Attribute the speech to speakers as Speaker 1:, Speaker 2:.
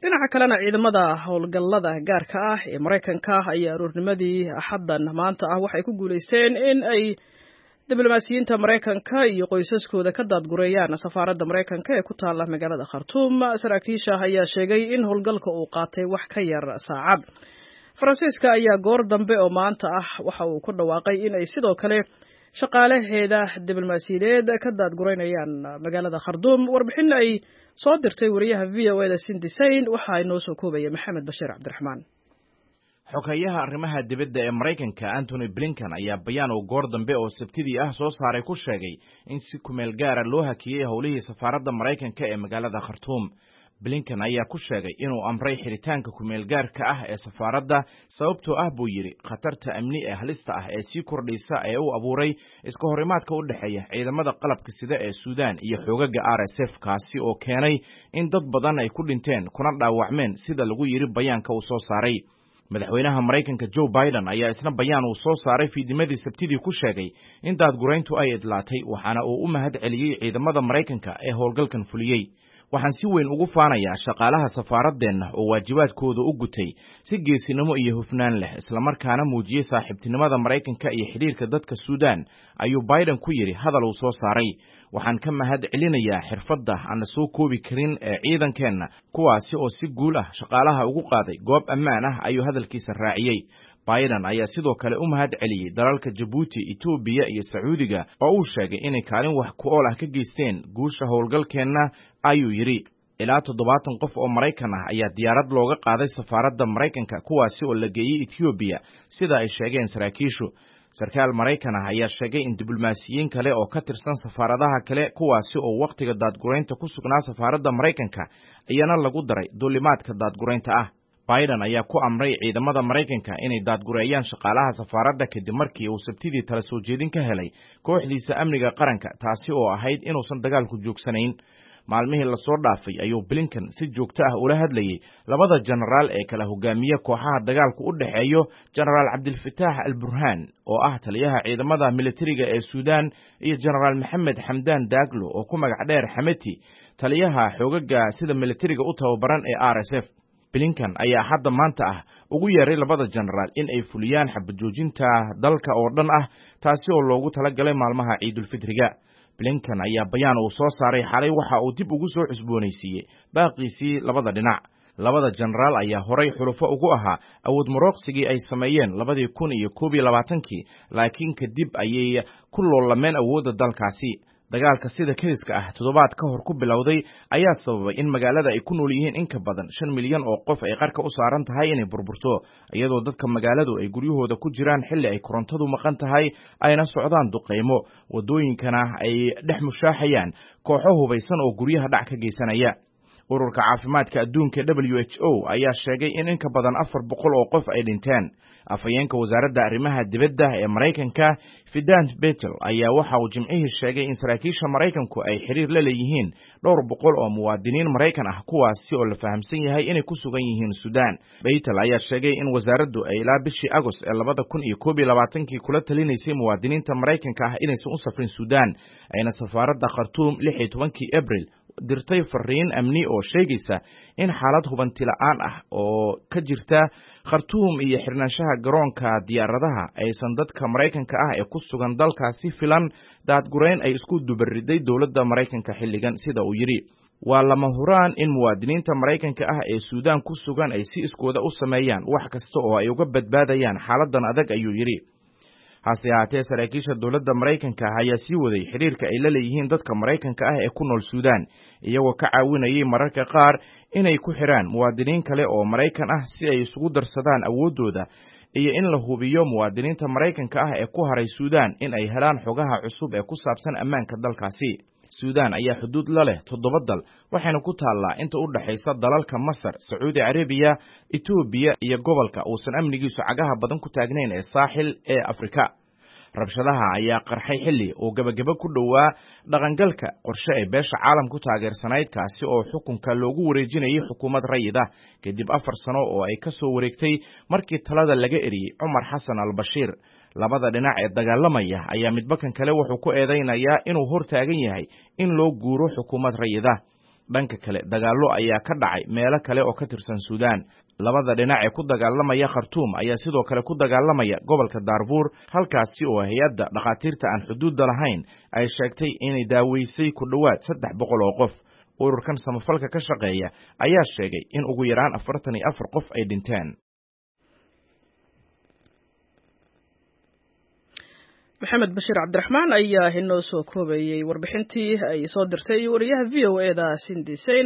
Speaker 1: Dhinaca kalena, ciidamada howlgallada gaarka ah ee Maraykanka ayaa aroornimadii Axaddan maanta ah waxay ku guulaysteen in ay diblomaasiyiinta Maraykanka iyo qoysaskooda ka daadgureeyaan safaaradda Maraykanka ee ku taalla magaalada Khartuum. Saraakiisha ayaa sheegay in howlgalka uu qaatay wax ka yar saacad. Faransiiska ayaa goor dambe oo maanta ah waxa uu ku dhawaaqay in ay sidoo kale shaqaalaheeda diblomaasiyadeed ka daadgureynayaan magaalada Khartuum. Warbixin ay soo dirtay wariyaha VOA da Cindy Saine waxaa inoo soo koobaya Maxamed Bashiir Cabdiraxmaan.
Speaker 2: Xoghayaha arrimaha dibadda ee Maraykanka Antony Blinken ayaa bayaan uu goor dambe oo Sabtidii ah soo saaray ku sheegay in si kumeel gaara loo hakiyey howlihii safaaradda Maraykanka ee magaalada Khartuum. Blinken ayaa ku sheegay inuu amray xiritaanka kumeel gaarka ah ee safaaradda, sababtoo ah, buu yidhi, khatarta amni ee halista ah ee sii kordhaysa ee uu abuuray iska horimaadka u dhexeeya ciidamada qalabka sida ee Suudaan iyo xoogaga RSF, kaasi oo keenay in dad badan ay ku dhinteen kuna dhaawacmeen, sida lagu yidhi bayaanka uu soo saaray. Madaxweynaha Maraykanka Joe Biden ayaa isna bayaan uu soo saaray fiidnimadii Sabtidii ku sheegay in daadgurayntu ay idlaatay, waxaana uu u mahad celiyey ciidamada Maraykanka ee howlgalkan fuliyey. "Waxaan si weyn ugu faanayaa shaqaalaha safaaraddeenna oo waajibaadkooda u gutay si geesinimo iyo hufnaan leh, islamarkaana muujiyey saaxiibtinimada Maraykanka iyo xidhiirka dadka Suudaan," ayuu Biden ku yidhi hadal uu soo saaray. "Waxaan ka mahad celinayaa xirfadda aan la soo koobi karin ee ciidankeenna, kuwaasi oo si guul ah shaqaalaha ugu qaaday goob ammaan ah," ayuu hadalkiisa raaciyey. Biden ayaa sidoo kale u mahad celiyey dalalka Jabuuti, Itoobiya iyo Sacuudiga oo uu sheegay inay kaalin wax ku ool ah ka geysteen guusha howlgalkeenna, ayuu yidhi. Ilaa 70 qof oo Maraykan ah ayaa diyaarad looga qaaday safaaradda Maraykanka, kuwaasi oo la geeyey Etoobiya, sida ay sheegeen saraakiishu. Sarkaal Maraykan ah ayaa sheegay in diblomaasiyiin kale oo ka tirsan safaaradaha kale, kuwaasi oo wakhtiga daadguraynta ku sugnaa safaaradda Maraykanka, iyana lagu daray duulimaadka daadguraynta ah. Biden ayaa ku amray ciidamada Maraykanka inay daadgureeyaan shaqaalaha safaaradda kadib markii uu Sabtidii tala soo jeedin ka helay kooxdiisa amniga qaranka, taasi oo ahayd inuusan dagaalku joogsanayn. Maalmihii lasoo dhaafay ayuu Blinken si joogto ah ula hadlayey labada jenaraal ee kala hogaamiye kooxaha dagaalku u dhexeeyo, Jenaraal Cabdilfataax al Burhaan oo ah taliyaha ciidamada militariga ee Suudaan iyo Jenaraal Maxamed Xamdaan Daaglo oo ku magac dheer Xameti, taliyaha xoogaga sida militariga u tababaran ee RSF. Blinken ayaa Axadda maanta ah ugu yeeray labada jenaraal in ay fuliyaan xabajoojinta dalka oo dhan ah, taasi oo loogu talagalay maalmaha Ciidulfitriga. Blinken ayaa bayaan uu soo saaray xalay waxa uu dib ugu soo cusboonaysiiyey baaqiisii labada dhinac. Labada jenaraal ayaa horay xulufo ugu ahaa awood marooqsigii ay sameeyeen 2021-kii, laakiin kadib ayay ku loolameen awoodda dalkaasi. Dagaalka sida kediska ah toddobaad ka hor ku bilowday ayaa sababay in magaalada ay ku nool yihiin in ka badan 5 milyan oo qof ay qarka u saaran tahay inay burburto, iyadoo dadka magaaladu ay guryahooda ku jiraan xilli ay korontadu maqan tahay, ayna socdaan duqaymo, waddooyinkana ay dhex mushaaxayaan kooxo hubaysan oo guryaha dhac ka geysanaya. Ururka Caafimaadka Adduunka WHO ayaa sheegay in in ka badan 400 oo qof ay dhinteen. Afhayeenka Wasaaradda Arrimaha Dibadda ee Maraykanka Vedant Patel ayaa waxa uu Jimcihii sheegay in saraakiisha Maraykanku ay xiriir la leeyihiin dhowr boqol oo muwaadiniin Maraykan ah, kuwaasi oo la fahamsan yahay inay ku sugan yihiin Suudaan. Patel ayaa sheegay in wasaaraddu ay ilaa bishii Agost ee 2021-kii kula talinaysay muwaadiniinta Maraykanka ah inaysan u safrin Suudaan, ayna safaaradda Khartuum 16-kii Abril dirtay fariin amni oo sheegaysa in xaalad hubanti la'aan ah oo ka jirta Khartuum iyo xirnaanshaha garoonka diyaaradaha aysan dadka Maraykanka ah ee ku sugan dalkaasi filan daadgurayn ay isku dubariday dowladda Maraykanka xilligan, sida uu yidhi. "Waa lama huraan in muwaadiniinta Maraykanka ah ee Suudaan ku sugan ay si iskooda u sameeyaan wax kasta oo ay uga badbaadayaan xaaladdan adag," ayuu yidhi. Hase ahaatee, saraakiisha dowladda Maraykanka ah ayaa sii waday xidhiirka ay la leeyihiin dadka Maraykanka ah ee ku nool Suudaan, iyagoo ka caawinayay mararka qaar inay ku xidhaan muwaadiniin kale oo Maraykan ah si ay isugu darsadaan awooddooda, iyo in la hubiyo muwaadiniinta Maraykanka ah ee ku haray Suudaan in ay helaan xogaha cusub ee ku saabsan ammaanka dalkaasi. Suudaan ayaa xuduud la leh toddoba dal, waxayna ku taallaa inta u dhexaysa dalalka Masar, Sacuudi Carabiya, Itoobiya iyo gobolka uusan amnigiisu cagaha badan ku taagnayn ee Saaxil ee Afrika. Rabshadaha ayaa qarxay xilli uu gebagebo ku dhowaa dhaqangalka qorshe ay beesha caalamku taageersanayd, kaasi oo xukunka loogu wareejinayay xukuumad rayid ah kadib 4 sano oo ay ka soo wareegtay markii talada laga eriyey Cumar Xasan al Bashiir. Labada dhinac ee dagaalamaya ayaa midba kan kale wuxuu ku eedaynayaa inuu hor taagan yahay in loo guuro xukuumad rayid ah. Dhanka kale, dagaallo ayaa ka dhacay meelo kale oo ka tirsan Suudaan. Labada dhinac ee ku dagaalamaya Khartuum ayaa sidoo kale ku dagaalamaya gobolka Daarfuur, halkaasi oo hay-adda dhakhaatiirta aan xuduudda lahayn ay sheegtay inay daaweysay ku dhowaad 300 oo qof. Ururkan samafalka ka shaqeeya ayaa sheegay in ugu yaraan 44 qof ay dhinteen.
Speaker 1: Maxamed Bashiir Cabdiraxmaan ayaa inoo soo koobayey warbixintii ay soo dirtay wariyaha v o e da Sindi Sein.